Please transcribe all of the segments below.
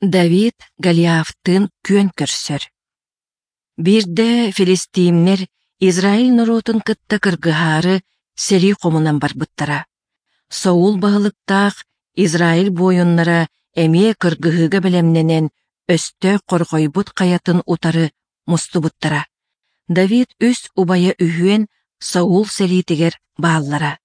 Давид Голиафтыын күөн көрсөр. Биирдэ филистиимнэр Израиль норуотун кытта кыргыһаары сэрии хомунан барбыттара. Саул баһылыктаах Израиль буойуннара эмиэ кыргыһыыга бэлэмнэнэн өстөөх хорҕойбут хайатын утары мустубуттара. Давид үс убайа үһүөн Саул сэриитигэр бааллара.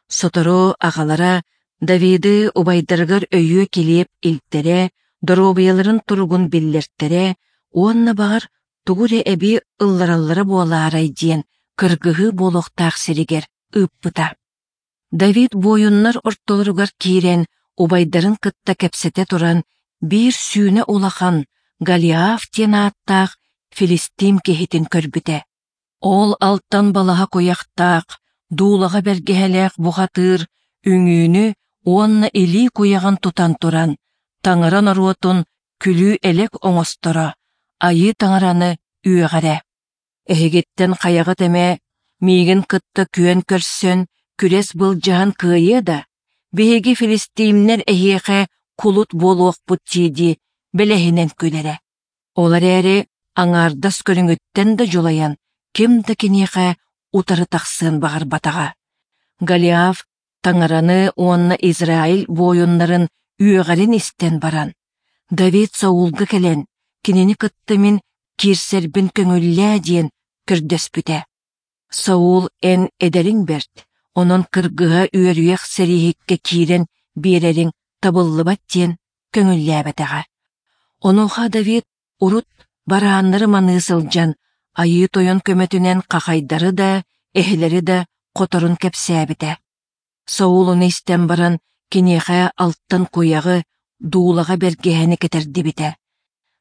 Сотору аҕалара Давиды убайдарыгар өйүө килиэп илтэрэ, доруобуйаларын туругун биллэртэрэ уонна баҕар тугу эрэ эбии ыллараллара буолаарай диэн кыргыһыы буолуохтаах сиригэр ыыппыта. Давид буойуннар ортолоругар киирэн убайдарын кытта кэпсэтэ туран биир сүүнэ улахан Голиаф диэн ааттаах филистим киһитин көрбүтэ. Ол алтан балаһа куйахтаах, дуулаҕа бэргэһэлээх бухатыыр үҥүүнү уонна илии куйаҕын тутан туран, таҥара норуотун күлүү-элэк оҥосторо, айыы таҥараны үөҕэрэ. Эһигиттэн хайаҕыт эмэ миигин кытта күөн көрсөн, күрэс былдьаһан кыайыа да, биһиги филистиимнэр эһиэхэ кулут буолуохпут дии-дии бэлэһинэн күлэрэ. Ол эрээри аҥаардас көрүҥүттэн да дьулайан, ким да киниэхэ утары тахсыан баҕарбатаҕа. Голиаф Таҥараны уонна Израиль буойуннарын үөҕэрин истэн баран, Давид Саулга кэлэн, кинини кытта мин киирсэрбин көҥүллээ диэн көрдөспүтэ. Саул эн эдэриҥ бэрт, онон кыргыһа үөрүйэх сэрииһиккэ киирэн биэрэриҥ табыллыбат диэн көҥүллээбэтэҕэ. Онуоха Давид урут барааннары маныы сылдьан Айыы Тойон көмөтүнэн хахайдары да, эһэлэри да хоторун кэпсээбитэ. Саул ону истэн баран киниэхэ алтан куйаҕы, дуулаҕа бэргэһэни кэтэрдибитэ.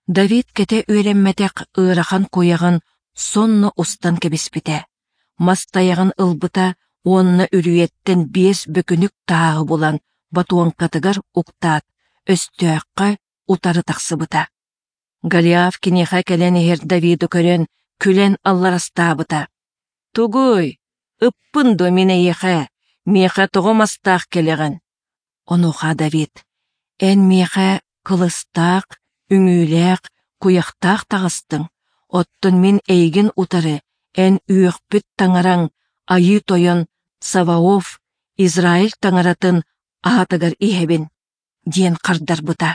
Давид кэтэ үөрэммэтэх ыарахан куйаҕын сонно устан кэбиспитэ. Мас тайаҕын ылбыта уонна үрүйэттэн биэс бөкүнүк тааһы булан ботуоҥкатыгар уктаат, өстөөххө утары тахсыбыта. Голиаф киниэхэ кэлэн иһэр Давиды көрөн, күлэн алларастаабыта. «Тугуй? Ыппын дуо мин эйиэхэ? Миэхэ тоҕо мастаах кэлэҕин?» Онуоха Давид: «Эн миэхэ кылыстаах, үҥүүлээх, куйахтаах таҕыстыҥ, оттон мин эйигин утары эн үөхпүт таҥараҥ Айыы Тойон Саваоф Израиль таҥаратын аатыгар иһэбин» диэн хардарбыта.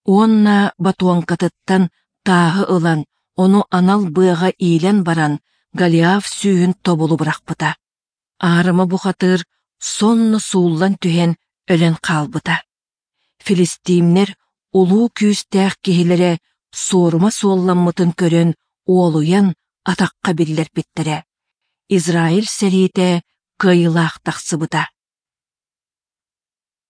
Уонна ботуоҥкатыттан тааһы ылан, ону анал быаҕа иилэн баран, Голиаф сүүһүн тобулу бырахпыта. Аарыма бухатыыр сонно сууллан түһэн өлөн хаалбыта. Филистиимнэр улуу күүстээх киһилэрэ суорума суолламмытын көрөн уолуйан атахха биллэрбиттэрэ. Израиль сэриитэ кыайыылаах тахсыбыта.